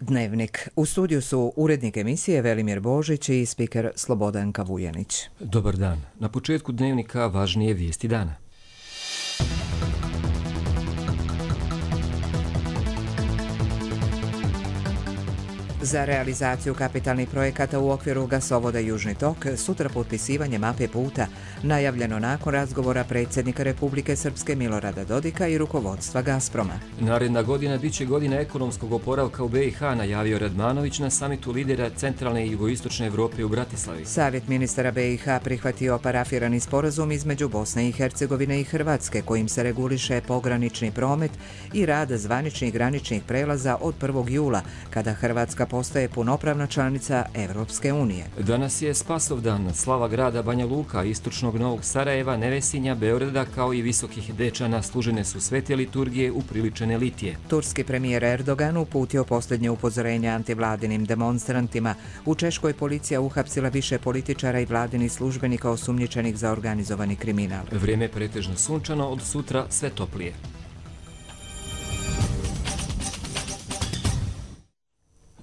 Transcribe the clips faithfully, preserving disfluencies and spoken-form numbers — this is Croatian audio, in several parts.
Dnevnik. U studiju su urednik emisije Velimir Božić i spiker Slobodanka Vujanić. Dobar dan. Na početku Dnevnika važnije vijesti dana. Za realizaciju kapitalnih projekata u okviru gasovoda Južni tok sutra potpisivanje mape puta, najavljeno nakon razgovora predsjednika Republike Srpske Milorada Dodika i rukovodstva Gazproma. Naredna godina bit će godina ekonomskog oporavka u B i H, najavio Radmanović na samitu lidera centralne i jugoistočne Evrope u Bratislavi. Savjet ministara B i H prihvatio parafirani sporazum između Bosne i Hercegovine i Hrvatske, kojim se reguliše pogranični promet i rad zvaničnih graničnih prelaza od prvog jula, kada Hrvatska postaje punopravna članica Evropske unije. Danas je Spasovdan, slava grada Banja Luka, istočnog Novog Sarajeva, Nevesinja, Beograda kao i Visokih Dečana služene su svete liturgije upriličene litije. Turski premijer Erdogan uputio posljednje upozorenje antivladinim demonstrantima. U Češkoj policija uhapsila više političara i vladinih službenika osumnjičenih za organizovani kriminal. Vrijeme pretežno sunčano, od sutra sve toplije.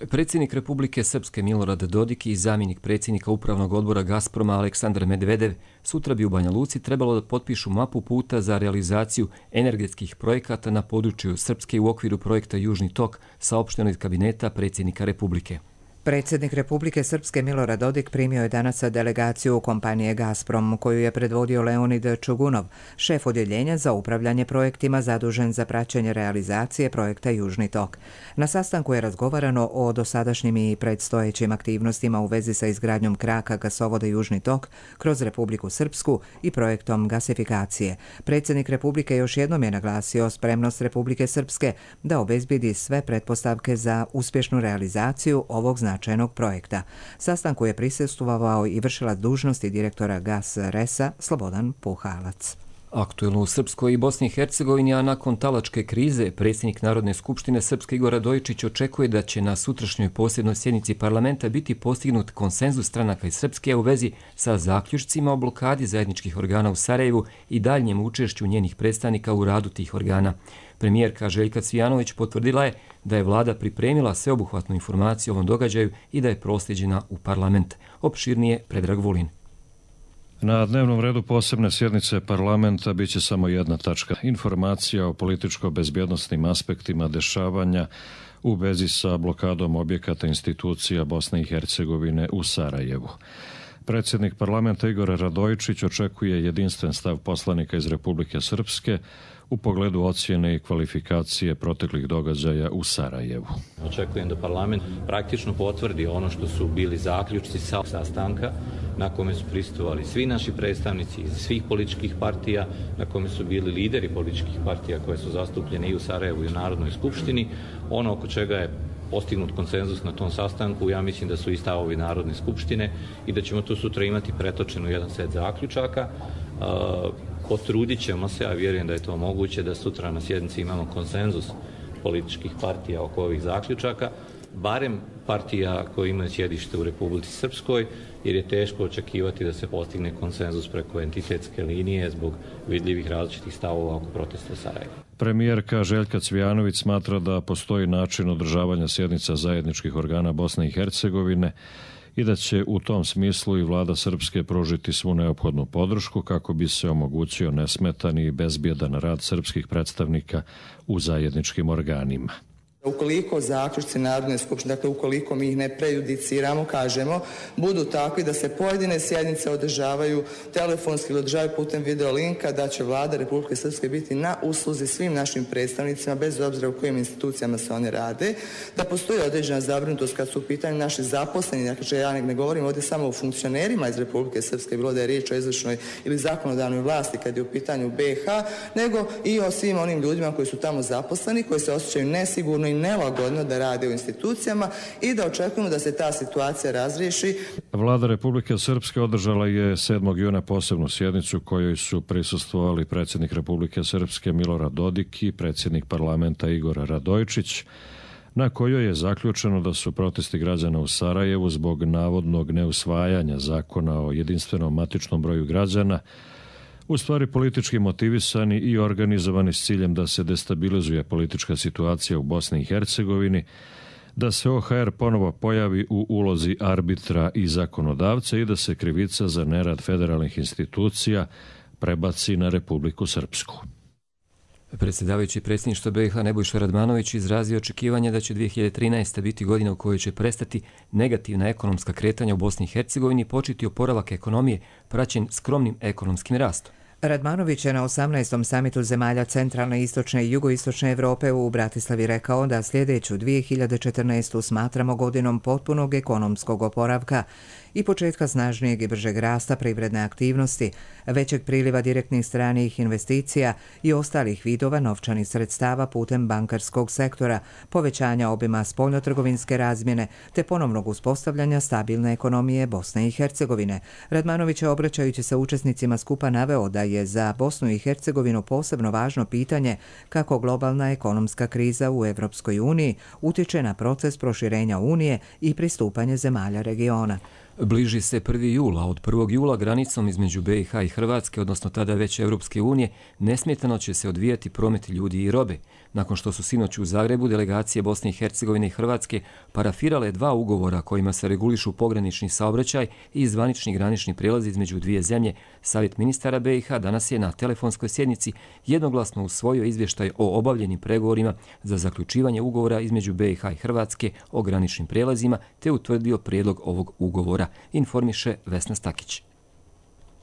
Predsjednik Republike Srpske Milorad Dodik i zamjenik predsjednika Upravnog odbora Gazproma Aleksandar Medvedev sutra bi u Banja Luci trebalo da potpišu mapu puta za realizaciju energetskih projekata na području Srpske u okviru projekta Južni tok, saopšteno iz kabineta predsjednika Republike. Predsjednik Republike Srpske Milorad Dodik primio je danas delegaciju kompanije Gazprom, koju je predvodio Leonid Čugunov, šef odjeljenja za upravljanje projektima zadužen za praćenje realizacije projekta Južni tok. Na sastanku je razgovarano o dosadašnjim i predstojećim aktivnostima u vezi sa izgradnjom kraka gasovoda Južni tok kroz Republiku Srpsku i projektom gasifikacije. Predsjednik Republike još jednom je naglasio spremnost Republike Srpske da obezbedi sve pretpostavke za uspješnu realizaciju ovog značajnog projekta. Sastanku je prisustvovao i vršilac dužnosti direktora Gas Resa Slobodan Puhalac. Aktuelno u Srpskoj i Bosni i Hercegovini, a nakon talačke krize, predsjednik Narodne skupštine Srpske Igor Radojičić očekuje da će na sutrašnjoj posebnoj sjednici parlamenta biti postignut konsenzus stranaka iz Srpske u vezi sa zaključcima o blokadi zajedničkih organa u Sarajevu i daljnjem učešću njenih predstavnika u radu tih organa. Premijerka Željka Cvijanović potvrdila je da je vlada pripremila sveobuhvatnu informaciju o ovom događaju i da je prosljeđena u parlament. Opširnije Predrag Vulin. Na dnevnom redu posebne sjednice parlamenta bit će samo jedna tačka. Informacija o političko-bezbjednosnim aspektima dešavanja u vezi sa blokadom objekata institucija Bosne i Hercegovine u Sarajevu. Predsjednik parlamenta Igor Radojičić očekuje jedinstven stav poslanika iz Republike Srpske u pogledu ocjene i kvalifikacije proteklih događaja u Sarajevu. Očekujem da parlament praktično potvrdi ono što su bili zaključci sa sastanka na kome su prisustvovali svi naši predstavnici iz svih političkih partija, na kome su bili lideri političkih partija koje su zastupljene i u Sarajevu i u Narodnoj skupštini. Ono oko čega je postignut konsenzus na tom sastanku, ja mislim da su i stavovi Narodne skupštine i da ćemo to sutra imati pretočeno jedan set zaključaka. Potrudit ćemo se, a vjerujem da je to moguće, da sutra na sjednici imamo konsenzus političkih partija oko ovih zaključaka, barem partija koje imaju sjedište u Republici Srpskoj, jer je teško očekivati da se postigne konsenzus preko entitetske linije zbog vidljivih različitih stavova oko protesta u Sarajevu. Premijerka Željka Cvijanović smatra da postoji način održavanja sjednica zajedničkih organa Bosne i Hercegovine i da će u tom smislu i vlada Srpske pružiti svu neophodnu podršku kako bi se omogućio nesmetan i bezbjedan rad srpskih predstavnika u zajedničkim organima. Ukoliko zaključci Narodne skupštine, dakle ukoliko mi ih ne prejudiciramo, kažemo, budu takvi da se pojedine sjednice održavaju telefonski ili održavaju putem videolinka, da će vlada Republike Srpske biti na usluzi svim našim predstavnicima, bez obzira u kojim institucijama se one rade, da postoji određena zabrinutost kad su u pitanju naši zaposleni, dakle ja ne govorim ovdje samo o funkcionerima iz Republike Srpske, bilo da je riječ o izvršnoj ili zakonodavnoj vlasti kad je u pitanju B i H, nego i o svim onim ljudima koji su tamo zaposleni, koji se osjećaju nesigurno i nelagodno da rade u institucijama i da očekujemo da se ta situacija razriješi. Vlada Republike Srpske održala je sedmog juna posebnu sjednicu kojoj su prisustvovali predsjednik Republike Srpske Milorad Dodik i predsjednik parlamenta Igor Radojičić, na kojoj je zaključeno da su protesti građana u Sarajevu zbog navodnog neusvajanja zakona o jedinstvenom matičnom broju građana u stvari politički motivisani i organizovani s ciljem da se destabilizuje politička situacija u Bosni i Hercegovini, da se O H R ponovo pojavi u ulozi arbitra i zakonodavca i da se krivica za nerad federalnih institucija prebaci na Republiku Srpsku. Predsjedavajući predsjedništva B i H Nebojša Radmanović izrazio očekivanje da će dvije hiljade trinaesta biti godina u kojoj će prestati negativna ekonomska kretanja u Bosni i Hercegovini i početi oporavak ekonomije praćen skromnim ekonomskim rastom. Radmanović je na osamnaestom samitu zemalja centralne, istočne i jugoistočne Evrope u Bratislavi rekao da sljedeću dvije hiljade četrnaestu smatramo godinom potpunog ekonomskog oporavka i početka snažnijeg i bržeg rasta privredne aktivnosti, većeg priliva direktnih stranih investicija i ostalih vidova novčanih sredstava putem bankarskog sektora, povećanja obima spoljnotrgovinske razmjene te ponovnog uspostavljanja stabilne ekonomije Bosne i Hercegovine. Radmanović je, obraćajući se učesnicima skupa, naveo da je za Bosnu i Hercegovinu posebno važno pitanje kako globalna ekonomska kriza u Evropskoj uniji utiče na proces proširenja Unije i pristupanje zemalja regiona. Bliži se prvi jul, a od prvog jula granicom između B i H i Hrvatske, odnosno tada već Europske unije, nesmetano će se odvijati promet ljudi i robe. Nakon što su sinoć u Zagrebu delegacije Bosne i Hercegovine i Hrvatske parafirale dva ugovora kojima se regulišu pogranični saobraćaj i zvanični granični prijelaz između dvije zemlje, Savjet ministara B i H danas je na telefonskoj sjednici jednoglasno usvojio izvještaj o obavljenim pregovorima za zaključivanje ugovora između B i H i Hrvatske o graničnim prijelazima te utvrdio prijedlog ovog ugovora, informiše Vesna Stakić.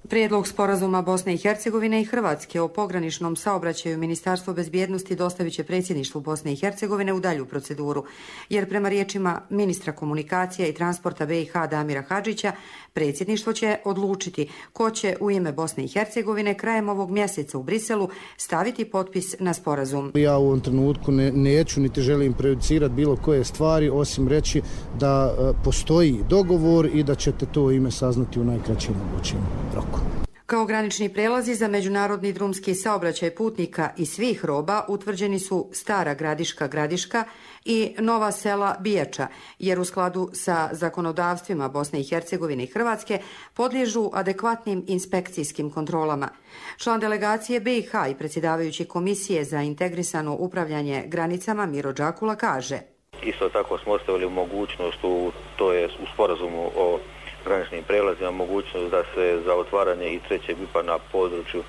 Prijedlog sporazuma Bosne i Hercegovine i Hrvatske o pograničnom saobraćaju Ministarstvo bezbjednosti dostavit će predsjedništvu Bosne i Hercegovine u dalju proceduru, jer prema riječima ministra komunikacija i transporta B i H Damira Hadžića, predsjedništvo će odlučiti ko će u ime Bosne i Hercegovine krajem ovog mjeseca u Briselu staviti potpis na sporazum. Ja u ovom trenutku ne, neću niti želim prejudicirati bilo koje stvari, osim reći da e, postoji dogovor i da ćete to ime saznati u najkraćem mogućem roku. Kao granični prelazi za međunarodni drumski saobraćaj putnika i svih roba utvrđeni su Stara Gradiška Gradiška i Nova Sela Bijača, jer u skladu sa zakonodavstvima Bosne i Hercegovine i Hrvatske podliježu adekvatnim inspekcijskim kontrolama. Član delegacije B i H i predsjedavajući Komisije za integrisano upravljanje granicama Miro Đakula kaže: Isto tako smo ostavili mogućnost, u, to je u sporazumu o graničnim prelazima, mogućnost da se za otvaranje i trećeg V I P-a na području e,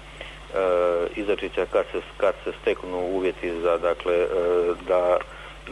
Izačića kad se, kad se steknu uvjeti za, dakle, e, da,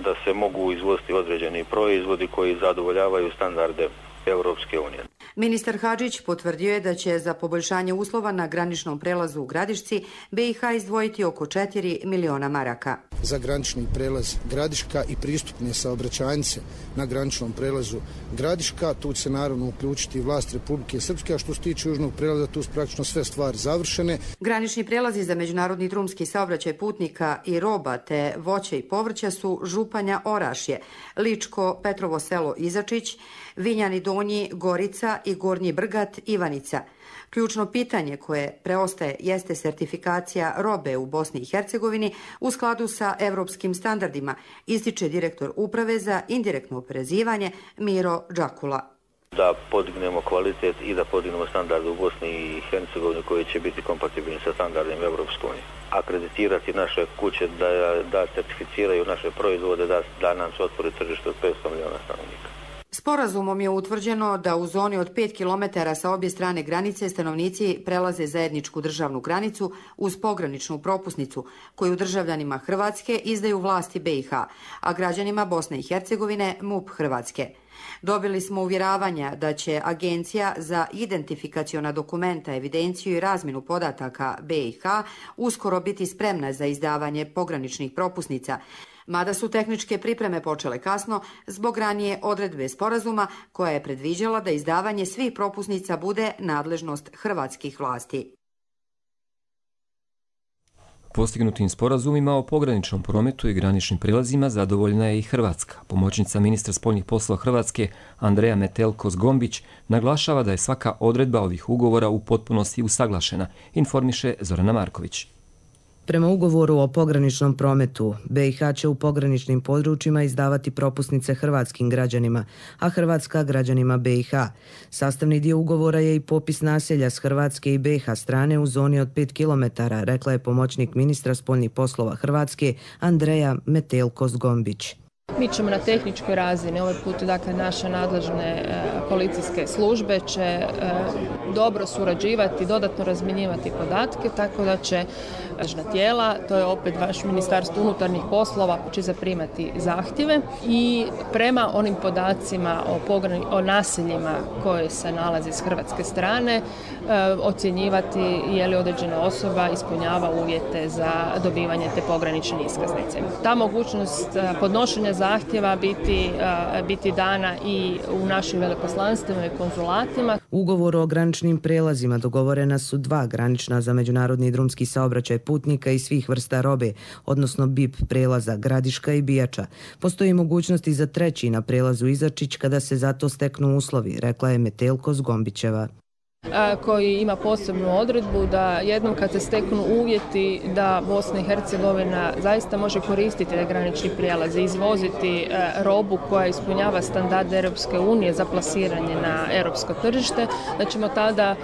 da se mogu izvoziti određeni proizvodi koji zadovoljavaju standarde Europske unije. Ministar Hadžić potvrdio je da će za poboljšanje uslova na graničnom prelazu u Gradišci B i H izdvojiti oko četiri miliona maraka. Za granični prelaz Gradiška i pristupne saobraćajnice na graničnom prelazu Gradiška, tu će se naravno uključiti vlast Republike Srpske, a što se tiče južnog prelaza, tu su praktično sve stvari završene. Granični prelazi za međunarodni drumski saobraćaj putnika i roba te voće i povrća su Županja Orašje, Ličko Petrovo selo Izačić, Vinjani Donji Gorica i Gornji Brgat Ivanica. Ključno pitanje koje preostaje jeste sertifikacija robe u Bosni i Hercegovini u skladu sa evropskim standardima, ističe direktor Uprave za indirektno oporezivanje Miro Đakula. Da podignemo kvalitet i da podignemo standarde u Bosni i Hercegovini koji će biti kompatibilni sa standardima Evropske unije. Akreditirati naše kuće da, da certificiraju naše proizvode, da, da nam se otvori tržište od petsto miliona stanovnika. Sporazumom je utvrđeno da u zoni od pet kilometara sa obje strane granice stanovnici prelaze zajedničku državnu granicu uz pograničnu propusnicu koju državljanima Hrvatske izdaju vlasti B i H, a građanima Bosne i Hercegovine M U P Hrvatske. Dobili smo uvjeravanja da će Agencija za identifikaciona dokumenta, evidenciju i razmjenu podataka B i H uskoro biti spremna za izdavanje pograničnih propusnica, mada su tehničke pripreme počele kasno zbog ranije odredbe sporazuma koja je predviđala da izdavanje svih propusnica bude nadležnost hrvatskih vlasti. Postignutim sporazumima o pograničnom prometu i graničnim prilazima zadovoljna je i Hrvatska. Pomoćnica ministra spoljnih poslova Hrvatske Andreja Metelko-Zgombić naglašava da je svaka odredba ovih ugovora u potpunosti usaglašena, informiše Zorana Marković. Prema ugovoru o pograničnom prometu, B i H će u pograničnim područjima izdavati propusnice hrvatskim građanima, a Hrvatska građanima B i H. Sastavni dio ugovora je i popis naselja s Hrvatske i B i H strane u zoni od pet kilometara, rekla je pomoćnik ministra spoljnih poslova Hrvatske Andreja Metelko-Zgombić. Mi ćemo na tehničkoj razini, ovaj put dakle naše nadležne policijske službe će dobro surađivati, dodatno razmjenjivati podatke, tako da će nadležna tijela, to je opet vaš Ministarstvo unutarnjih poslova, će zaprimati zahtjeve i prema onim podacima o, pograni, o naseljima koje se nalaze s hrvatske strane e, ocjenjivati je li određena osoba ispunjava uvjete za dobivanje te pogranične iskaznice. Ta mogućnost podnošenja zahtjeva biti, e, biti dana i u našim veleposlanstvima i konzulatima. Ugovor o graničnim prelazima dogovorena su dva granična za međunarodni drumski saobraćaj putnika i svih vrsta robe, odnosno B I P prelaza Gradiška i Bijača. Postoji mogućnosti za treći na prelazu Izačić kada se za to steknu uslovi, rekla je Metelko Zgombićeva. Koji ima posebnu odredbu da jednom kad se steknu uvjeti da Bosna i Hercegovina zaista može koristiti te granični prijelaz i izvoziti robu koja ispunjava standarde Europske unije za plasiranje na europsko tržište, da ćemo tada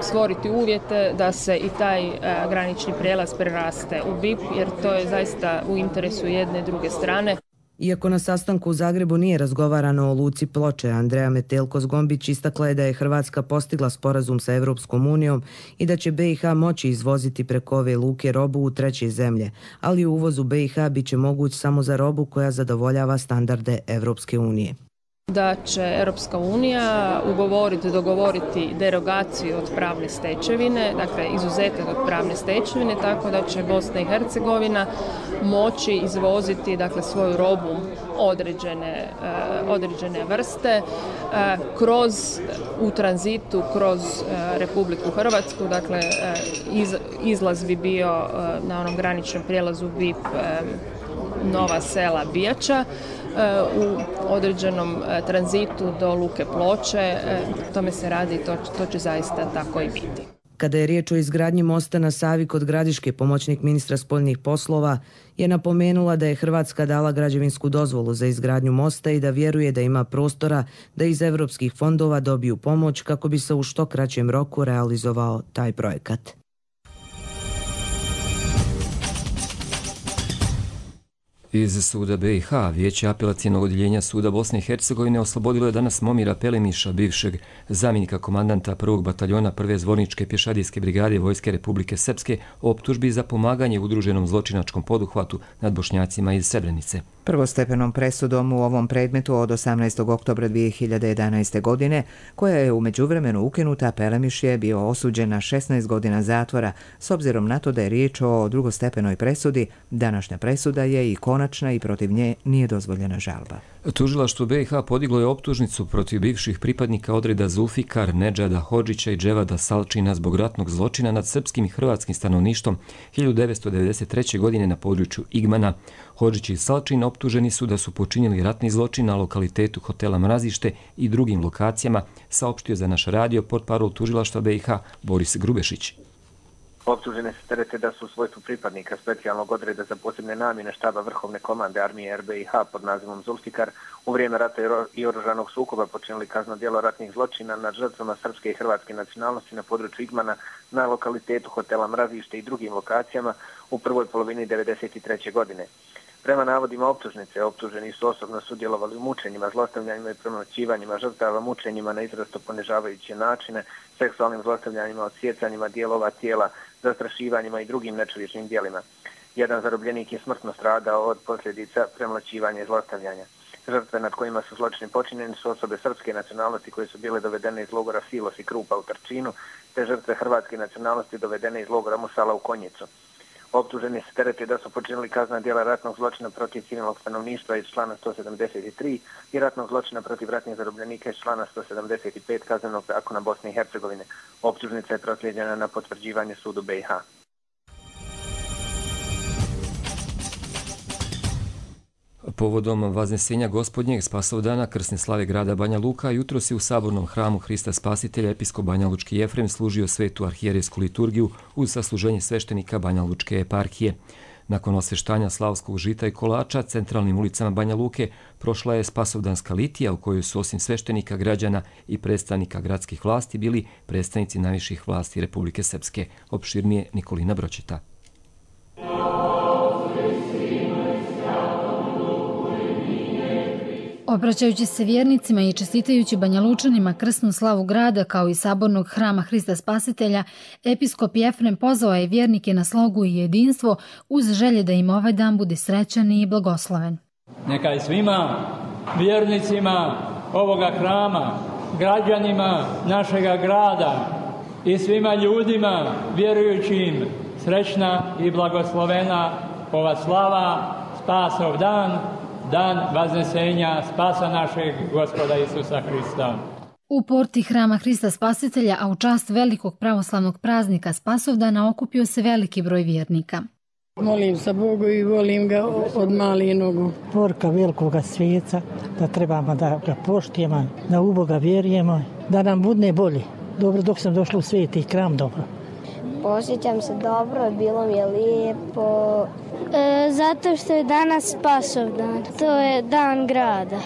stvoriti uvjete da se i taj granični prijelaz preraste u B I P, jer to je zaista u interesu jedne i druge strane. Iako na sastanku u Zagrebu nije razgovarano o luci Ploče, Andreja Metelko Zgombić istakla je da je Hrvatska postigla sporazum sa Europskom unijom i da će B i H moći izvoziti preko ove luke robu u treće zemlje, ali uvoz u B i H bit će moguć samo za robu koja zadovoljava standarde Europske unije. Da će Europska unija ugovoriti, dogovoriti derogaciju od pravne stečevine, dakle izuzetak od pravne stečevine, tako da će Bosna i Hercegovina moći izvoziti dakle svoju robu određene, uh, određene vrste uh, kroz u tranzitu kroz uh, Republiku Hrvatsku, dakle uh, iz, izlaz bi bio uh, na onom graničnom prijelazu B I P uh, Nova Sela Bijača u određenom tranzitu do luke Ploče. Tome se radi i to, to će zaista tako i biti. Kada je riječ o izgradnji mosta na Savi kod Gradiške, pomoćnik ministra spoljnih poslova je napomenula da je Hrvatska dala građevinsku dozvolu za izgradnju mosta i da vjeruje da ima prostora da iz europskih fondova dobiju pomoć kako bi se u što kraćem roku realizovao taj projekat. Iz suda B i H Vijeće apelacijenog odjeljenja suda Bosne i Hercegovine oslobodilo je danas Momira Pelemiša, bivšeg zamjenika komandanta prvog bataljona prve zvorničke pješadijske brigade Vojske Republike Srpske o optužbi za pomaganje udruženom zločinačkom poduhvatu nad Bošnjacima iz Srebrenice. Prvostepenom presudom u ovom predmetu od osamnaestog oktobra dvije hiljade jedanaeste. godine, koja je u međuvremenu ukinuta, Pelemiš je bio osuđen na šesnaest godina zatvora. S obzirom na to da je riječ o drugostepenoj presudi, današnja presuda je i konačna i protiv nje nije dozvoljena žalba. Tužilaštvo B i H podiglo je optužnicu protiv bivših pripadnika odreda Zulfikar, Nedžada Hodžića i Dževada Salčina zbog ratnog zločina nad srpskim i hrvatskim stanovništvom hiljadu devetsto devedeset treće. godine na području Igmana. Hodžić i Salčin optuženi su da su počinili ratni zločin na lokalitetu hotela Mrazište i drugim lokacijama, saopštio za naš radio portparol tužilaštva B i H Boris Grubešić. Optužene se terete da su u svojstvu pripadnika specijalnog odreda za posebne namjene štaba Vrhovne komande armije R B i H pod nazivom Zulfikar u vrijeme rata i oružanog sukoba počinili kazneno djelo ratnih zločina nad žrtvama srpske i hrvatske nacionalnosti na području Igmana, na lokalitetu hotela Mrazište i drugim lokacijama u prvoj polovini devedeset treće. godine. Prema navodima optužnice, optuženi su osobno sudjelovali u mučenjima, zlostavljanjima i premlaćivanjima žrtava, mučenjima na izrazito ponižavajuće načine, seksualnim zlostavljanjima, odsjecanjima dijelova tijela, zastrašivanjima i drugim nečovječnim djelima. Jedan zarobljenik je smrtno stradao od posljedica premlaćivanja i zlostavljanja. Žrtve nad kojima su zločini počinjeni su osobe srpske nacionalnosti koje su bile dovedene iz logora Silos i Krupa u Trčinu, te žrtve hrvatske nacionalnosti dovedene iz logora Musala u Konjicu. Optuženi se terete da su počinili kaznena djela ratnog zločina protiv civilnog stanovništva iz člana sto sedamdeset tri i ratnog zločina protiv ratnih zarobljenika iz člana sto sedamdeset pet Kaznenog zakona Bosne i Hercegovine. Optužnica je proslijeđena na potvrđivanje sudu B i H. Povodom vaznesenja Gospodnjeg Spasovdana krsne slave grada Banja Luka, jutros je u sabornom hramu Hrista Spasitelja episkop Banjalučki Jefrem služio svetu arhijerejsku liturgiju uz sasluženje sveštenika Banjalučke eparhije. Nakon osveštanja slavskog žita i kolača centralnim ulicama Banja Luke prošla je Spasovdanska litija u kojoj su osim sveštenika, građana i predstavnika gradskih vlasti bili predstavnici najviših vlasti Republike Srpske. Opširnije Nikolina Bročeta. Obraćajući se vjernicima i čestitajući Banjalučanima krsnu slavu grada kao i sabornog hrama Hrista Spasitelja, episkop Jefrem pozvao je vjernike na slogu i jedinstvo uz želje da im ovaj dan bude srećan i blagosloven. Neka je svima vjernicima ovoga hrama, građanima našega grada i svima ljudima vjerujućim srećna i blagoslovena ova slava, spasov dan, dan vaznesenja spasa našeg Gospoda Isusa Hrista. U porti hrama Hrista Spasitelja, a u čast velikog pravoslavnog praznika Spasovdana, okupio se veliki broj vjernika. Molim za Bogu i volim ga od malih nogu. Porka velikoga svijeca, da trebamo da ga poštijemo, da u Boga vjerujemo, da nam bude bolje. Dobro, dok sam došla u sveti hram, dobro. Osjećam se dobro, bilo mi je lijepo. E, zato što je danas Spasovdan, to je dan grada.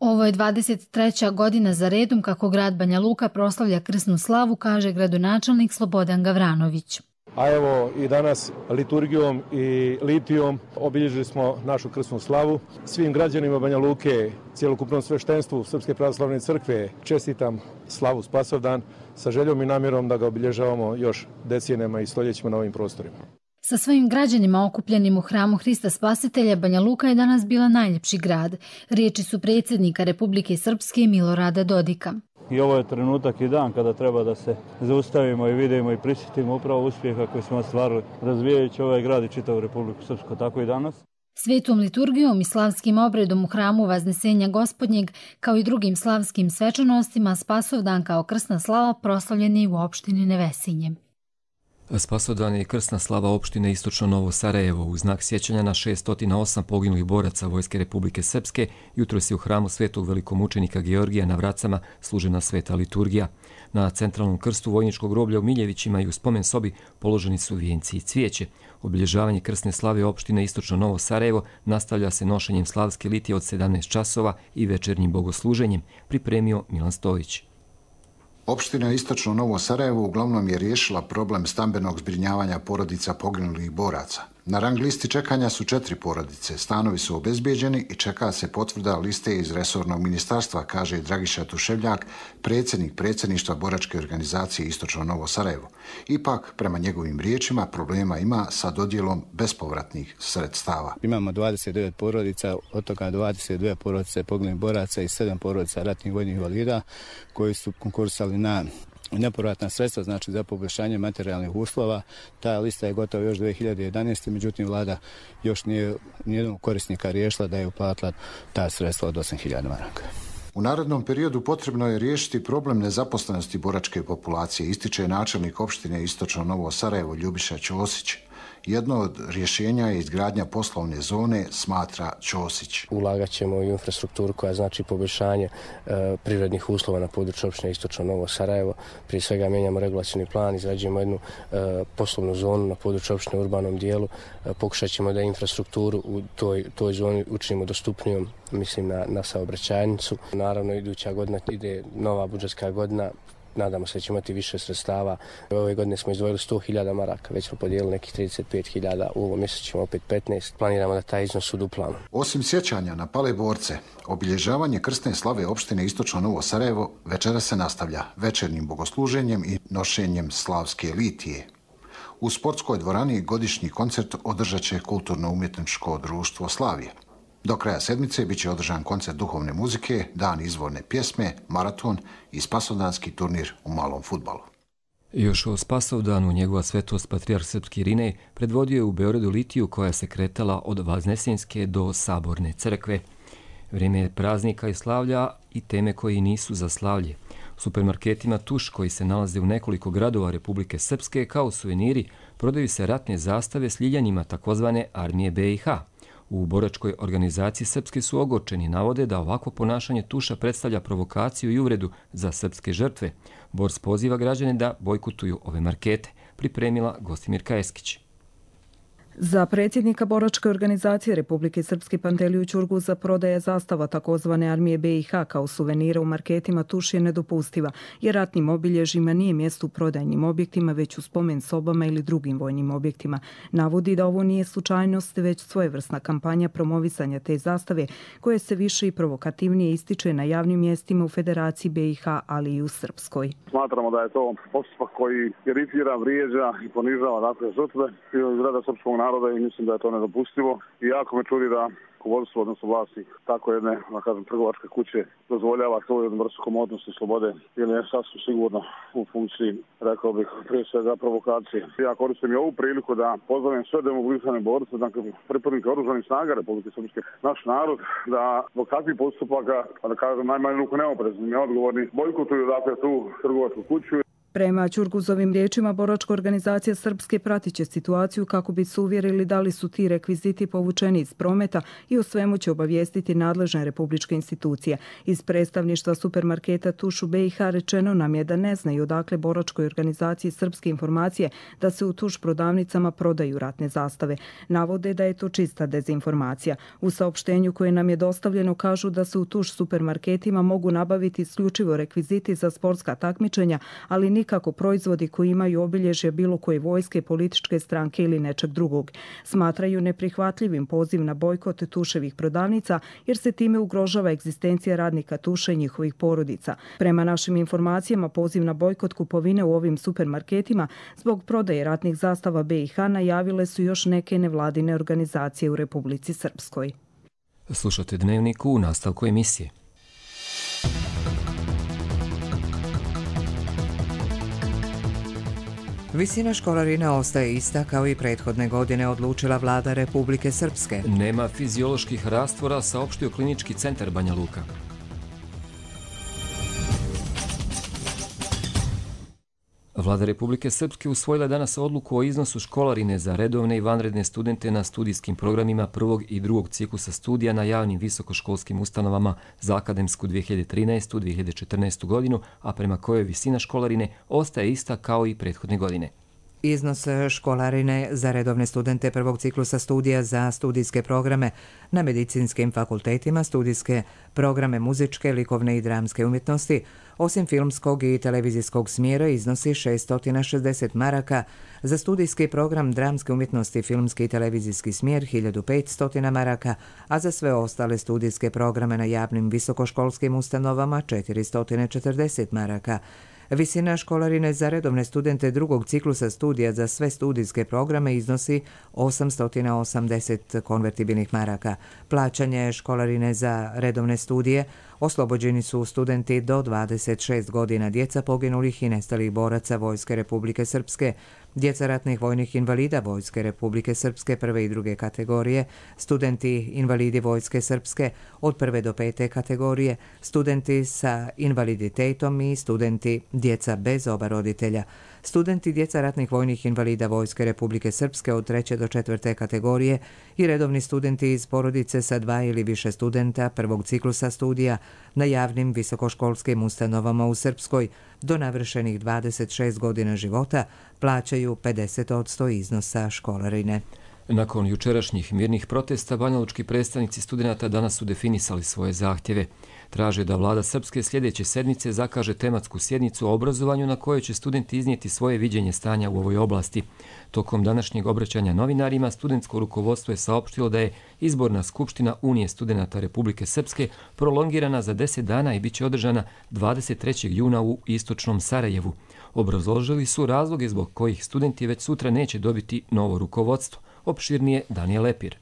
Ovo je dvadeset treća godina za redom kako grad Banja Luka proslavlja krsnu slavu, kaže gradonačelnik Slobodan Gavranović. A evo i danas liturgijom i litijom obilježili smo našu krsnu slavu. Svim građanima Banja Luke, cjelokupnom sveštenstvu Srpske pravoslavne crkve čestitam slavu Spasovdan sa željom i namjerom da ga obilježavamo još decenijama i stoljećima na ovim prostorima. Sa svojim građanima okupljenim u hramu Hrista Spasitelja, Banja Luka je danas bila najljepši grad. Riječi su predsjednika Republike Srpske Milorada Dodika. I ovo je trenutak i dan kada treba da se zaustavimo i vidimo i prisjetimo upravo uspjeha koji smo ostvarili razvijajući ovaj grad i čitavu Republiku Srpsku, tako i danas. Svetom liturgijom i slavskim obredom u hramu Vaznesenja Gospodnjeg, kao i drugim slavskim svečanostima, Spasovdan kao krsna slava proslavljen je u opštini Nevesinje. Spasovdan je krsna slava opštine Istočno Novo Sarajevo. U znak sjećanja na šessto osam poginulih boraca Vojske Republike Srpske jutros je u hramu Svetog velikomučenika Georgija na Vracama služena sveta liturgija. Na centralnom krstu vojničkog groblja u Miljevićima i u spomen sobi položeni su vijenci i cvijeće. Obilježavanje krsne slave opštine Istočno Novo Sarajevo nastavlja se nošenjem slavske litije od sedamnaest časova i večernjim bogosluženjem, pripremio Milan Stojić. Opština Istočno Novo Sarajevo uglavnom je riješila problem stambenog zbrinjavanja porodica poginulih boraca. Na rang listi čekanja su četiri porodice, stanovi su obezbijeđeni i čeka se potvrda liste iz resornog ministarstva, kaže Dragiša Tuševljak, predsjednik predsjedništva boračke organizacije Istočno Novo Sarajevo. Ipak, prema njegovim riječima, problema ima sa dodjelom bespovratnih sredstava. Imamo dvadeset devet porodica, od toga dvadeset dvije porodice poginulih boraca i sedam porodica ratnih vojnih invalida koji su konkursali na nepovratna sredstva, znači za poboljšanje materijalnih uslova. Ta lista je gotova još dvije hiljade jedanaeste. Međutim, vlada još nije nijednog korisnika riješila da je uplatila ta sredstva od osam hiljada maraka. U narednom periodu potrebno je riješiti problem nezaposlenosti boračke populacije, ističe načelnik opštine Istočno Novo Sarajevo Ljubiša Ćosić. Jedno od rješenja je izgradnja poslovne zone, smatra Ćosić. Ulagat ćemo u infrastrukturu koja znači poboljšanje e, privrednih uslova na području opštine Istočno Novo Sarajevo. Prije svega mijenjamo regulacioni plan, izrađujemo jednu e, poslovnu zonu na području opštine u urbanom dijelu. E, pokušat ćemo da infrastrukturu u toj, toj zoni učinimo dostupnijom, mislim na, na saobraćajnicu. Naravno, iduća godina ide nova budžetska godina. Nadamo se da ćemo imati više sredstava. Ove godine smo izdvojili sto hiljada maraka, već smo podijelili nekih trideset pet hiljada, u ovom mjesecu ćemo opet petnaest. Planiramo da taj iznos uduplamo. Osim sjećanja na pale borce, obilježavanje krsne slave opštine Istočno Novo Sarajevo večera se nastavlja večernjim bogosluženjem i nošenjem slavske litije. U sportskoj dvorani godišnji koncert održat će Kulturno-umjetničko društvo Slavije. Do kraja sedmice bit će održan koncert duhovne muzike, dan izvorne pjesme, maraton i spasovdanski turnir u malom fudbalu. Još o Spasovdanu njegova svetost patrijarh Srpski Irinej predvodio je u Beogradu litiju koja se kretala od Vaznesenjske do Saborne crkve. Vrijeme je praznika i slavlja i teme koji nisu za slavlje. U supermarketima Tuš, koji se nalaze u nekoliko gradova Republike Srpske, kao suveniri prodaju se ratne zastave s ljiljanjima takozvane armije B i H. U boračkoj organizaciji Srpske su ogorčeni, navode da ovako ponašanje Tuša predstavlja provokaciju i uvredu za srpske žrtve. Bors poziva građane da bojkotuju ove markete, pripremila Gostimirka Eskić. Za predsjednika boračke organizacije Republike Srpske Panteliju Ćurguza prodaja zastava takozvane armije B i H kao suvenira u marketima tuš je nedopustiva, jer ratnim obilježjima nije mjesto u prodajnim objektima, već u spomen sobama ili drugim vojnim objektima. Navodi da ovo nije slučajnost, već svojevrsna kampanja promovisanja te zastave, koje se više i provokativnije ističe na javnim mjestima u Federaciji B i H, ali i u Srpskoj. Smatramo da je to postupak koji iritira, vrijeđa i ponižava dakle žrtve iz reda srpskog naroda i mislim da je to nedopustivo. I jako me čudi da rukovodstvo, odnosno vlasnik tako jedne, da kažem, trgovačke kuće dozvoljava to jednu vrstu komodnosti i slobode ili je sasvim sigurno u funkciji, rekao bih, prije svega provokacije. Ja koristim i ovu priliku da pozdravim sve demobilizirane borce, dakle pripadnike oružanih snaga Republike Srpske, naš narod, da zbog takvih postupaka, da kažem, najmanje ruku neoprezni, neodgovorni, bojkotuju dakle tu trgovačku kuću. Prema Ćurguzovim riječima, boračka organizacija Srpske pratit će situaciju kako bi se uvjerili da li su ti rekviziti povučeni iz prometa i o svemu će obavijestiti nadležne republičke institucije. Iz predstavništva supermarketa Tuš u B i H rečeno nam je da ne znaju odakle boračkoj organizaciji Srpske informacije da se u Tuš prodavnicama prodaju ratne zastave. Navode da je to čista dezinformacija. U saopštenju koje nam je dostavljeno kažu da se u Tuš supermarketima mogu nabaviti isključivo rekviziti za sportska takmičenja, ali nikako kako proizvodi koji imaju obilježje bilo koje vojske, političke stranke ili nečeg drugog. Smatraju neprihvatljivim poziv na bojkot Tuševih prodavnica jer se time ugrožava egzistencija radnika Tuša i njihovih porodica. Prema našim informacijama, poziv na bojkot kupovine u ovim supermarketima zbog prodaje ratnih zastava B i H najavile su još neke nevladine organizacije u Republici Srpskoj. Slušate Dnevnik u nastavku emisije. Visina školarine ostaje ista kao i prethodne godine, odlučila vlada Republike Srpske. Nema fizioloških rastvora, saopštio Klinički centar Banja Luka. Vlada Republike Srpske usvojila danas odluku o iznosu školarine za redovne i vanredne studente na studijskim programima prvog i drugog ciklusa studija na javnim visokoškolskim ustanovama za akademsku dvije hiljade trinaestu dvije hiljade četrnaestu godinu, a prema kojoj visina školarine ostaje ista kao i prethodne godine. Iznos školarine za redovne studente prvog ciklusa studija za studijske programe na medicinskim fakultetima, studijske programe muzičke, likovne i dramske umjetnosti, osim filmskog i televizijskog smjera, iznosi šeststo šezdeset maraka, za studijski program dramske umjetnosti, filmski i televizijski smjer hiljadu petsto maraka, a za sve ostale studijske programe na javnim visokoškolskim ustanovama četiristo četrdeset maraka. Visina školarine za redovne studente drugog ciklusa studija za sve studijske programe iznosi osamsto osamdeset konvertibilnih maraka. Plaćanje školarine za redovne studije oslobođeni su studenti do dvadeset šest godina, djeca poginulih i nestalih boraca Vojske Republike Srpske, djeca ratnih vojnih invalida Vojske Republike Srpske prve i druge kategorije, studenti invalidi Vojske Srpske od prve do pete kategorije, studenti sa invaliditetom i studenti djeca bez oba roditelja. Studenti djeca ratnih vojnih invalida Vojske Republike Srpske od treće do četvrte kategorije i redovni studenti iz porodice sa dva ili više studenta prvog ciklusa studija na javnim visokoškolskim ustanovama u Srpskoj do navršenih dvadeset šest godina života plaćaju pedeset posto iznosa školarine. Nakon jučerašnjih mirnih protesta, banjalučki predstavnici studenata danas su definisali svoje zahtjeve. Traže da vlada Srpske sljedeće sedmice zakaže tematsku sjednicu o obrazovanju na kojoj će studenti iznijeti svoje viđenje stanja u ovoj oblasti. Tokom današnjeg obraćanja novinarima, studentsko rukovodstvo je saopštilo da je izborna skupština Unije studenata Republike Srpske prolongirana za deset dana i bit će održana dvadeset trećeg juna u istočnom Sarajevu. Obrazložili su razloge zbog kojih studenti već sutra neće dobiti novo rukovodstvo. Opširnije Danijel Lepir.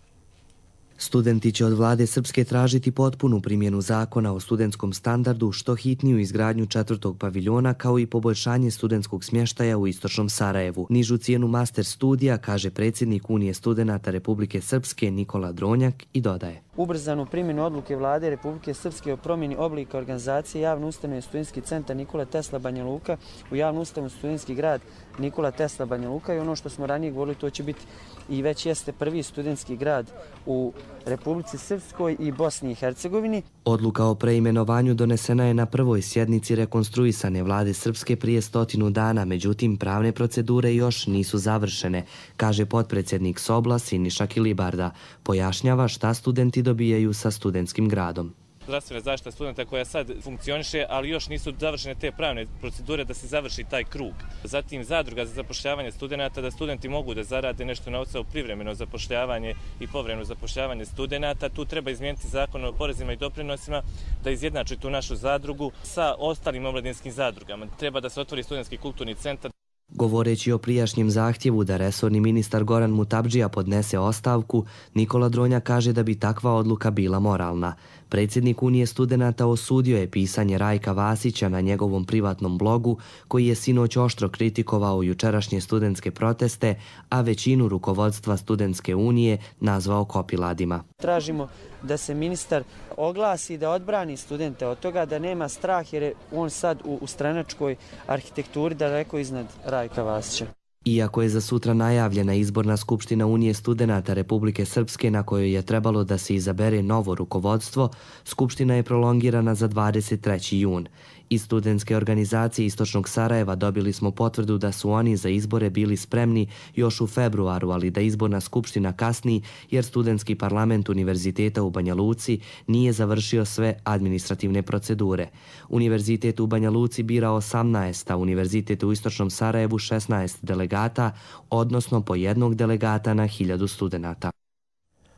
Studenti će od vlade Srpske tražiti potpunu primjenu zakona o studentskom standardu, što hitniju izgradnju četvrtog paviljona, kao i poboljšanje studentskog smještaja u istočnom Sarajevu. Nižu cijenu master studija, kaže predsjednik Unije studenata Republike Srpske Nikola Dronjak i dodaje. ubrzanu primjenu odluke vlade Republike Srpske o promjeni oblika organizacije javne ustanove Studentski centar Nikola Tesla Banja Luka u javnu ustanovu Studentski grad Nikola Tesla Banja Luka i ono što smo ranije govorili, to će biti i već jeste prvi studentski grad u Republici Srpskoj i Bosni i Hercegovini. Odluka o preimenovanju donesena je na prvoj sjednici rekonstruisane vlade Srpske prije stotinu dana, međutim pravne procedure još nisu završene, kaže potpredsjednik Sobla Siniša Kilibarda. Pojašnjava šta studenti dobijaju sa studentskim gradom. Zdravstvena zaštita studenta koja sad funkcioniše, ali još nisu završene te pravne procedure da se završi taj krug. Zatim zadruga za zapošljavanje studenta, da studenti mogu da zarade nešto novca u privremeno zapošljavanje i povremeno zapošljavanje studenta. Tu treba izmijeniti zakon o porezima i doprinosima da izjednači tu našu zadrugu sa ostalim omladinskim zadrugama. Treba da se otvori studentski kulturni centar. Govoreći o prijašnjem zahtjevu da resorni ministar Goran Mutabdžija podnese ostavku, Nikola Dronja kaže da bi takva odluka bila moralna. Predsjednik Unije studenata osudio je pisanje Rajka Vasića na njegovom privatnom blogu, koji je sinoć oštro kritikovao jučerašnje studentske proteste, a većinu rukovodstva Studentske unije nazvao kopiladima. Tražimo da se ministar oglasi, da odbrani studente od toga, da nema strah jer je on sad u, u stranačkoj arhitekturi daleko iznad Rajka Vasića. Iako je za sutra najavljena izborna skupština Unije studenata Republike Srpske na kojoj je trebalo da se izabere novo rukovodstvo, skupština je prolongirana za dvadeset treći jun. Iz studentske organizacije Istočnog Sarajeva dobili smo potvrdu da su oni za izbore bili spremni još u februaru, ali da izborna skupština kasni jer studentski parlament Univerziteta u Banja Luci nije završio sve administrativne procedure. Univerzitet u Banja Luci bira osamnaest, a Univerzitet u Istočnom Sarajevu šesnaest delegata, odnosno po jednog delegata na hiljadu studenata.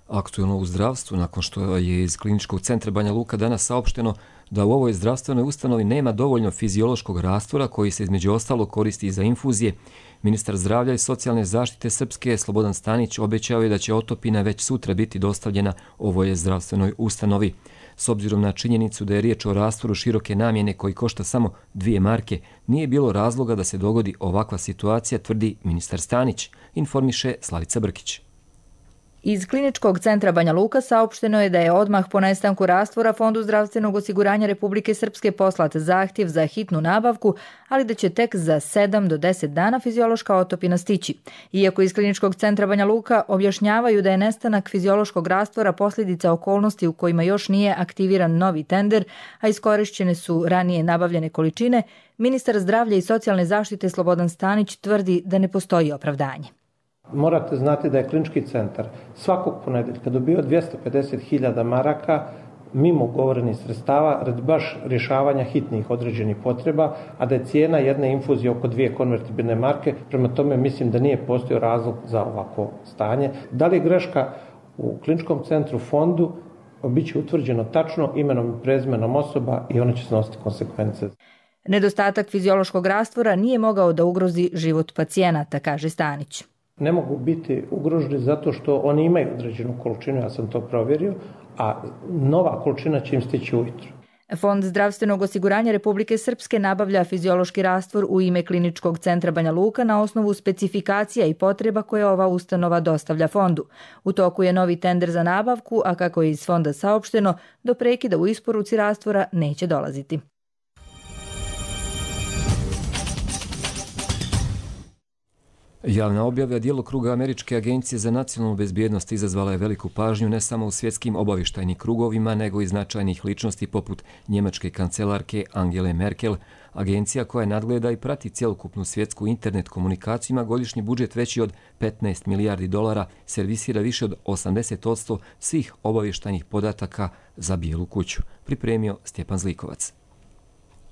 Aktuelno u zdravstvu, nakon što je iz Kliničkog centra Banja Luka danas saopšteno da u ovoj zdravstvenoj ustanovi nema dovoljno fiziološkog rastvora koji se između ostalo koristi za infuzije, ministar zdravlja i socijalne zaštite Srpske Slobodan Stanić obećao je da će otopina već sutra biti dostavljena ovoj zdravstvenoj ustanovi. S obzirom na činjenicu da je riječ o rastvoru široke namjene koji košta samo dvije marke, nije bilo razloga da se dogodi ovakva situacija, tvrdi ministar Stanić, informiše Slavica Brkić. Iz Kliničkog centra Banja Luka saopšteno je da je odmah po nestanku rastvora Fondu zdravstvenog osiguranja Republike Srpske poslat zahtjev za hitnu nabavku, ali da će tek za sedam do deset dana fiziološka otopina stići. Iako iz Kliničkog centra Banja Luka objašnjavaju da je nestanak fiziološkog rastvora posljedica okolnosti u kojima još nije aktiviran novi tender, a iskorišćene su ranije nabavljene količine, ministar zdravlja i socijalne zaštite Slobodan Stanić tvrdi da ne postoji opravdanje. Morate znati da je Klinički centar svakog ponedjeljka dobio dvjesto pedeset hiljada maraka mimo ugovorenih sredstava radi baš rješavanja hitnih određenih potreba, a da je cijena jedne infuzije oko dvije konvertibilne marke, prema tome mislim da nije postojao razlog za ovako stanje. Da li je greška u Kliničkom centru fondu, bit će utvrđeno tačno imenom i prezimenom osoba i one će snositi konsekvence. Nedostatak fiziološkog rastvora nije mogao da ugrozi život pacijenata, kaže Stanić. Ne mogu biti ugroženi zato što oni imaju određenu količinu, ja sam to provjerio, a nova količina će im stići ujutro. Fond zdravstvenog osiguranja Republike Srpske nabavlja fiziološki rastvor u ime Kliničkog centra Banja Luka na osnovu specifikacija i potreba koje ova ustanova dostavlja fondu. U toku je novi tender za nabavku, a kako je iz fonda saopšteno, do prekida u isporuci rastvora neće dolaziti. Javna objava djelokruga Američke agencije za nacionalnu bezbjednost izazvala je veliku pažnju ne samo u svjetskim obavještajnim krugovima, nego i značajnih ličnosti poput njemačke kancelarke Angele Merkel. Agencija koja nadgleda i prati cjelokupnu svjetsku internet komunikaciju ima godišnji budžet veći od petnaest milijardi dolara, servisira više od osamdeset posto svih obavještajnih podataka za Bijelu kuću. Pripremio Stjepan Zlikovac.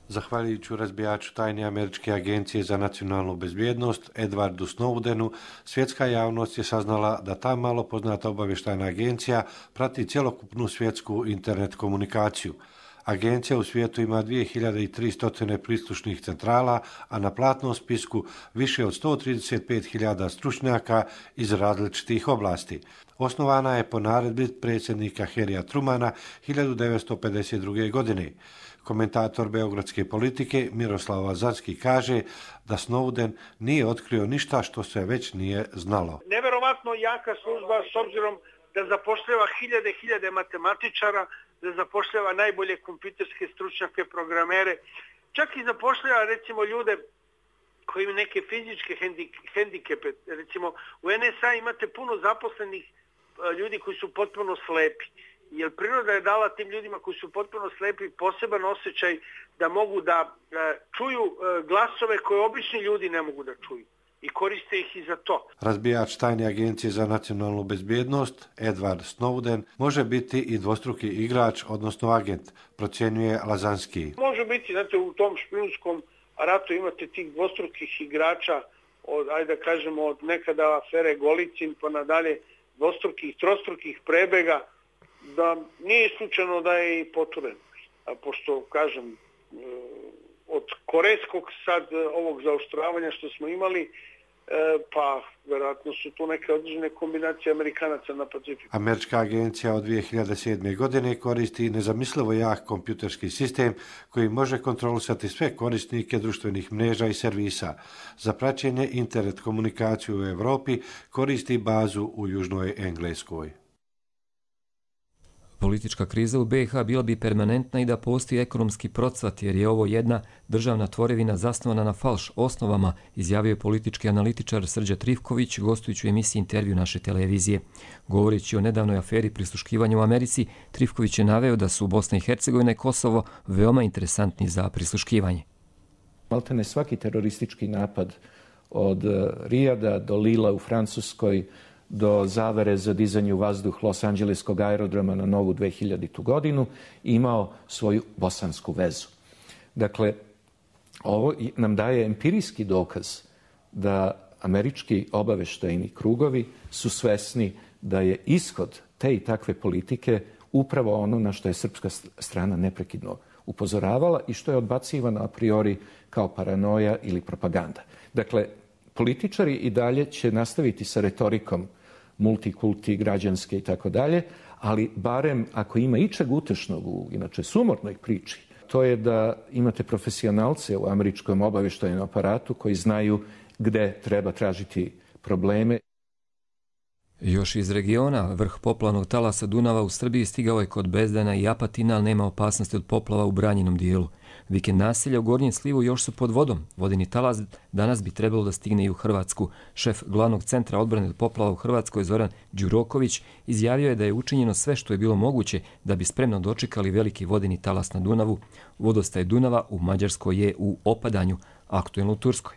Zahvaljujući razbijaču tajne Američke agencije za nacionalnu bezbjednost Edwardu Snowdenu, svjetska javnost je saznala da ta malo poznata obavještajna agencija prati cjelokupnu svjetsku internet komunikaciju. Agencija u svijetu ima dvije hiljade tristo prislušnih centrala, a na platnom spisku više od sto trideset pet hiljada stručnjaka iz različitih oblasti. Osnovana je po naredbi predsjednika Harrya Trumana hiljadu devetsto pedeset druge. godine. Komentator beogradske politike Miroslav Lazarski kaže da Snowden nije otkrio ništa što se već nije znalo. Neverovatno jaka služba s obzirom da zapošljava hiljade i hiljade matematičara, da zapošljava najbolje kompjuterske stručnjake, programere, čak i zapošljava recimo ljude koji imaju neke fizičke hendikepe. Recimo u en es a imate puno zaposlenih ljudi koji su potpuno slepi. Jer priroda je dala tim ljudima koji su potpuno slepi poseban osjećaj da mogu da čuju glasove koje obični ljudi ne mogu da čuju. I koriste ih i za to. Razbijač tajne agencije za nacionalnu bezbjednost, Edward Snowden, može biti i dvostruki igrač, odnosno agent, procjenjuje Lazanski. Može biti, znate, u tom špijunskom ratu imate tih dvostrukih igrača, od, ajde da kažemo, od nekada afere Golicin pa nadalje, dvostrukih, trostrukih prebega, da nije slučajno da je i poturen. A pošto, kažem, od korejskog sad ovog zaoštravanja što smo imali, pa vjerojatno su tu neke određene kombinacije Amerikanaca na Pacifiku. Američka agencija od dvije hiljade sedme. godine koristi nezamislivo jak kompjuterski sistem koji može kontrolisati sve korisnike društvenih mreža i servisa. Za praćenje internet komunikaciju u Europi koristi bazu u Južnoj Engleskoj. Politička kriza u be i ha bila bi permanentna i da postoji ekonomski procvat, jer je ovo jedna državna tvorevina zasnovana na falš osnovama, izjavio je politički analitičar Srđa Trifković, gostujući u emisiji Intervju naše televizije. Govoreći o nedavnoj aferi prisluškivanja u Americi, Trifković je naveo da su Bosna i Hercegovina i Kosovo veoma interesantni za prisluškivanje. Maltene svaki teroristički napad od Rijada do Lila u Francuskoj, do zavere za dizanje u vazduh Los Angeleskog aerodroma na novu dve hiljadite. godinu imao svoju bosansku vezu. Dakle, ovo nam daje empirijski dokaz da američki obaveštajni krugovi su svesni da je ishod te i takve politike upravo ono na što je srpska strana neprekidno upozoravala i što je odbacivano a priori kao paranoja ili propaganda. Dakle, političari i dalje će nastaviti sa retorikom multikulti, građanske i tako dalje, ali barem ako ima ičeg utešnog u inače sumornoj priči, to je da imate profesionalce u američkom obavještajnom aparatu koji znaju gde treba tražiti probleme. Još iz regiona, vrh poplavnog talasa Dunava u Srbiji stigao je kod Bezdana i Apatina, ali nema opasnosti od poplava u branjenom dijelu. Vikend naselja u Gornjem Slivu još su pod vodom. Vodeni talas danas bi trebalo da stigne i u Hrvatsku. Šef glavnog centra odbrane od poplava u Hrvatskoj, Zoran Đuroković, izjavio je da je učinjeno sve što je bilo moguće da bi spremno dočekali veliki vodeni talas na Dunavu. Vodostaj Dunava u Mađarskoj je u opadanju, aktuelno u Turskoj.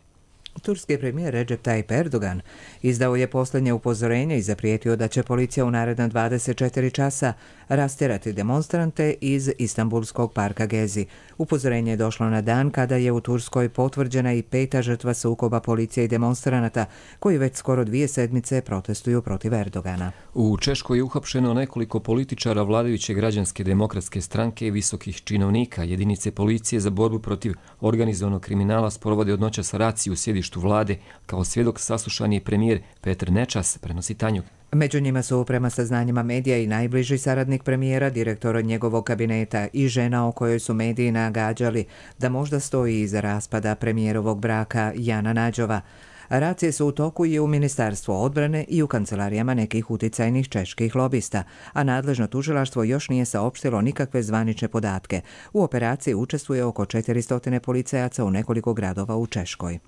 Turski premijer Recep Tayyip Erdogan izdao je posljednje upozorenje i zaprijetio da će policija u naredna dvadeset četiri časa rastjerati demonstrante iz Istanbulskog parka Gezi. Upozorenje je došlo na dan kada je u Turskoj potvrđena i peta žrtva sukoba policije i demonstranata koji već skoro dvije sedmice protestuju protiv Erdogana. U Češkoj je uhapšeno nekoliko političara vladajuće građanske demokratske stranke i visokih činovnika. Jedinice policije za borbu protiv organizovanog kriminala sprovode od noćas raciju u sjedištu vlade. Kao svjedok saslušan je premijer Petr Nečas, prenosi Tanjug. Među njima su prema saznanjima medija i najbliži saradnik premijera, direktor njegovog kabineta i žena o kojoj su mediji nagađali da možda stoji iza raspada premijerovog braka Jana Nađova. Racije su u toku i u Ministarstvu odbrane i u kancelarijama nekih uticajnih čeških lobista, a nadležno tužilaštvo još nije saopštilo nikakve zvanične podatke. U operaciji učestvuje oko četiristo policajaca u nekoliko gradova u Češkoj.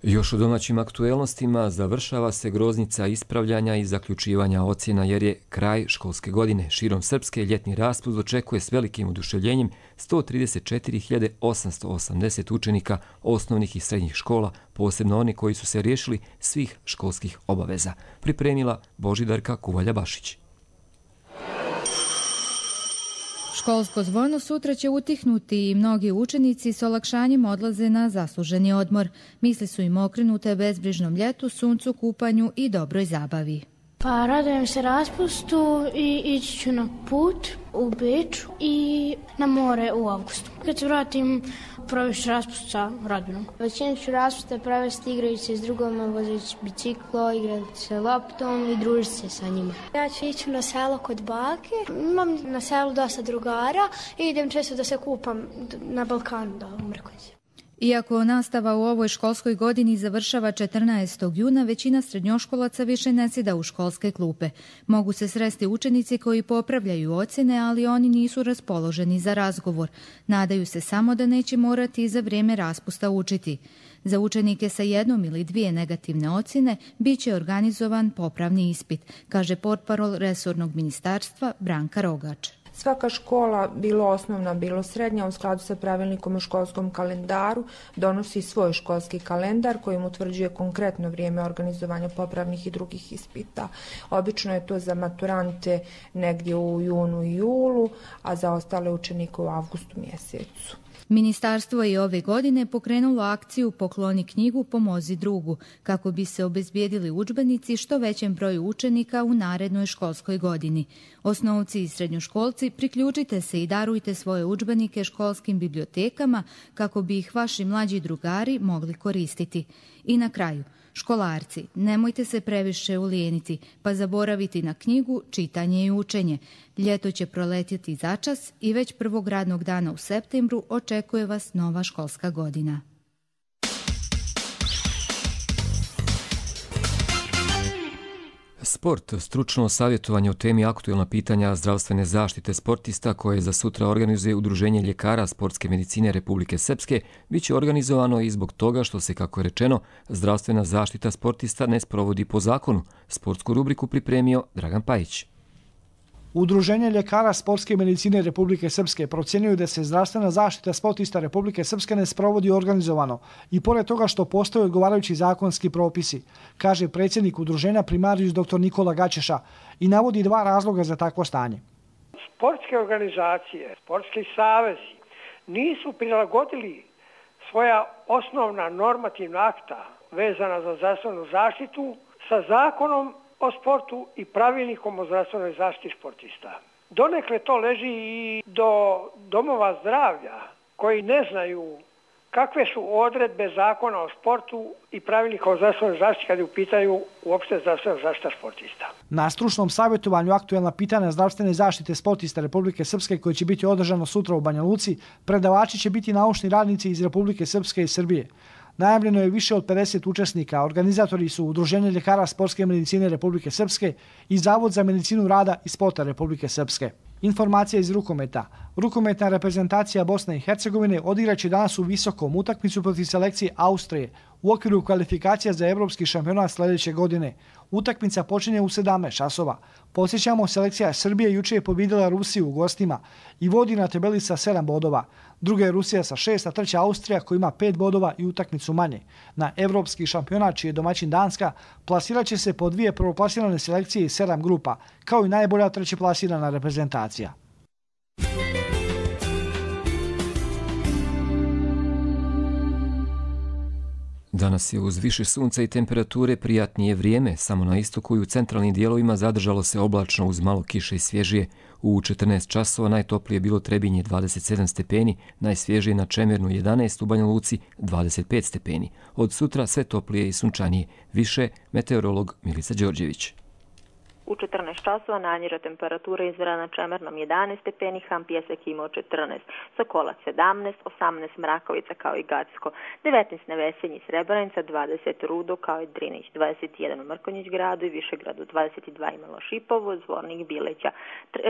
Još u domaćim aktuelnostima završava se groznica ispravljanja i zaključivanja ocjena jer je kraj školske godine. Širom Srpske ljetni raspust očekuje s velikim oduševljenjem sto trideset četiri hiljade osamsto osamdeset učenika osnovnih i srednjih škola, posebno oni koji su se riješili svih školskih obaveza. Pripremila Božidarka Kuvalja-Bašić. Školsko zvono sutra će utihnuti i mnogi učenici s olakšanjem odlaze na zasluženi odmor. Misli su im okrenute bezbrižnom ljetu, suncu, kupanju i dobroj zabavi. Pa radujem se raspustu i ići ću na put u Beč i na more u avgustu. Kad se vratim, provesti raspust sa rodbinom. Većinu ću raspusta provesti igrajući se s drugoma, vozeći biciklo, igrati se loptom i družiti se sa njima. Ja ću ići na selo kod bake. Imam na selu dosta drugara i idem često da se kupam na Balkanu, da u Mrkonjici. Iako nastava u ovoj školskoj godini završava četrnaestog juna, većina srednjoškolaca više ne sjeda u školske klupe. Mogu se sresti učenici koji popravljaju ocjene, ali oni nisu raspoloženi za razgovor. Nadaju se samo da neće morati za vrijeme raspusta učiti. Za učenike sa jednom ili dvije negativne ocjene bit će organizovan popravni ispit, kaže portparol resornog ministarstva Branka Rogač. Svaka škola, bilo osnovna, bilo srednja, u skladu sa pravilnikom o školskom kalendaru, donosi svoj školski kalendar kojim utvrđuje konkretno vrijeme organizovanja popravnih i drugih ispita. Obično je to za maturante negdje u junu i julu, a za ostale učenike u avgustu mjesecu. Ministarstvo je ove godine pokrenulo akciju Pokloni knjigu, pomozi drugu, kako bi se obezbijedili udžbenici što većem broju učenika u narednoj školskoj godini. Osnovci i srednjoškolci, priključite se i darujte svoje udžbenike školskim bibliotekama kako bi ih vaši mlađi drugari mogli koristiti. I na kraju, školarci, nemojte se previše ulijeniti, pa zaboraviti na knjigu, čitanje i učenje. Ljeto će proletjeti začas i već prvog radnog dana u septembru očekuje vas nova školska godina. Sport, stručno savjetovanje o temi aktuelna pitanja zdravstvene zaštite sportista koje za sutra organizuje Udruženje ljekara sportske medicine Republike Srpske, bit će organizovano i zbog toga što se, kako je rečeno, zdravstvena zaštita sportista ne sprovodi po zakonu. Sportsku rubriku pripremio Dragan Pajić. Udruženje ljekara sportske medicine Republike Srpske procjenjuju da se zdravstvena zaštita sportista Republike Srpske ne sprovodi organizovano i pored toga što postoje odgovarajući zakonski propisi, kaže predsjednik udruženja primarijus doktor Nikola Gačeša i navodi dva razloga za takvo stanje. Sportske organizacije, sportski savezi nisu prilagodili svoja osnovna normativna akta vezana za zdravstvenu zaštitu sa zakonom o sportu i pravilnikom o zdravstvenoj zaštiti sportista. Donekle to leži i do domova zdravlja koji ne znaju kakve su odredbe zakona o sportu i pravilnika o zdravstvenoj zaštiti kad je u pitanju uopšte zdravstvena zaštita sportista. Na stručnom savjetovanju aktuelna pitanja zdravstvene zaštite sportista Republike Srpske koje će biti održano sutra u Banja Luci, predavači će biti naučni radnici iz Republike Srpske i Srbije. Najavljeno je više od pedeset učesnika, organizatori su Udruženje ljekara sportske medicine Republike Srpske i Zavod za medicinu rada i sporta Republike Srpske. Informacija iz rukometa. Rukometna reprezentacija Bosne i Hercegovine odigraće danas u Visokom utakmicu protiv selekcije Austrije u okviru kvalifikacija za evropski šampionat sljedeće godine. Utakmica počinje u sedamnaest časova. Podsjećamo, selekcija Srbije juče je pobjedila Rusiju u gostima i vodi na tabeli sa sedam bodova. Druga je Rusija sa šest, a treća Austrija koja ima pet bodova i utakmicu manje. Na evropski šampionat, čiji je domaćin Danska, plasirat će se po dvije prvoplasirane selekcije iz sedam grupa, kao i najbolja trećeplasirana reprezentacija. Danas je uz više sunca i temperature prijatnije vrijeme, samo na istoku i u centralnim dijelovima zadržalo se oblačno uz malo kiše i svježije. U četrnaest časova najtoplije je bilo Trebinje dvadeset sedam stepeni, najsvježije na Čemernu jedanaest, u Banja Luci dvadeset pet stepeni. Od sutra sve toplije i sunčanije. Više meteorolog Milica Đorđević. U četrnaest časova najniža temperatura izmjerena na Čemernom jedanaest stepeni, Ham Pjesak imao četrnaest, Sokolac sedamnaest, osamnaest Mrakovica kao i Gacko, devetnaest na Vesenji Srebrenica, dvadeset Rudo kao i Drinić, dvadeset jedan u Mrkonjić gradu i Višegradu, dvadeset dva imalo Šipovo, Zvornik Bileća,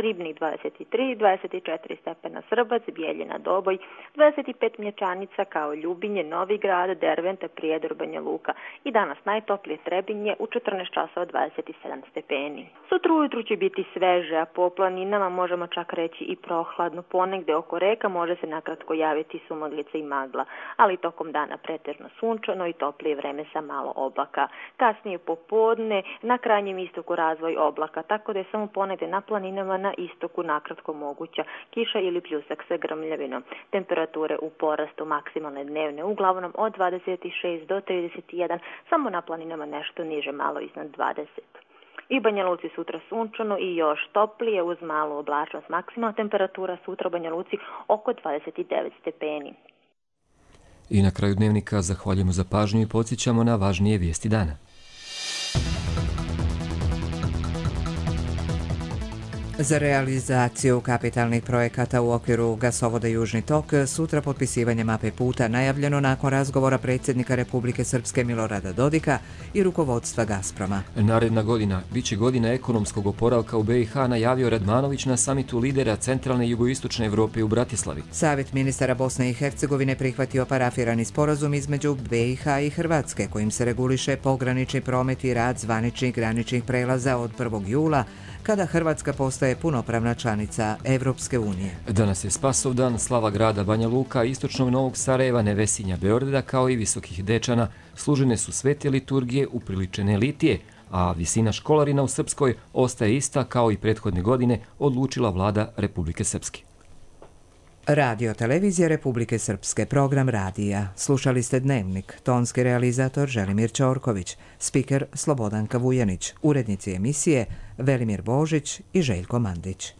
Ribnik dvadeset tri, dvadeset četiri stepena Srbac, Bijeljina Doboj, dvadeset pet Mlječanica kao Ljubinje, Novi Grad, Derventa, Prijedor, Banja Luka i danas najtoplije Trebinje u četrnaest časova dvadeset sedam stepeni. Sutra ujutru će biti sveže, a po planinama možemo čak reći i prohladno. Ponegde oko reka može se nakratko javiti sumaglica i magla, ali tokom dana pretežno sunčano i toplije vreme sa malo oblaka. Kasnije popodne na krajnjem istoku razvoj oblaka, tako da je samo ponegde na planinama na istoku nakratko moguća kiša ili pljusak sa grmljavinom. Temperature u porastu maksimalne dnevne uglavnom od dvadeset šest do trideset jedan, samo na planinama nešto niže, malo iznad dvadeset. I Banja Luci sutra sunčano i još toplije uz malu oblačnost. Maksimalna temperatura sutra u Banja Luci oko dvadeset devet stepeni. I na kraju dnevnika zahvaljujemo za pažnju i podsjećamo na važnije vijesti dana. Za realizaciju kapitalnih projekata u okviru gasovoda Južni tok sutra potpisivanje mape puta najavljeno nakon razgovora predsjednika Republike Srpske Milorada Dodika i rukovodstva Gazproma. Naredna godina biće godina ekonomskog oporavka u be i ha, najavio Radmanović na samitu lidera centralne i jugoistočne Evrope u Bratislavi. Savjet ministara Bosne i Hercegovine prihvatio parafirani sporazum između be i ha i Hrvatske kojim se reguliše pogranični promet i rad zvaničnih graničnih prelaza od prvog jula kada Hrvatska postaje punopravna članica Evropske unije. Danas je Spasovdan, slava grada Banja Luka, istočnog Novog Sarajeva, Nevesinja, Beograda kao i Visokih Dečana. Služene su svete liturgije upriličene litije, a visina školarina u Srpskoj ostaje ista kao i prethodne godine, odlučila vlada Republike Srpske. Radio televizija Republike Srpske, program radija. Slušali ste Dnevnik, tonski realizator Želimir Ćorković, spiker Slobodanka Vujanić, urednici emisije Velimir Božić i Željko Mandić.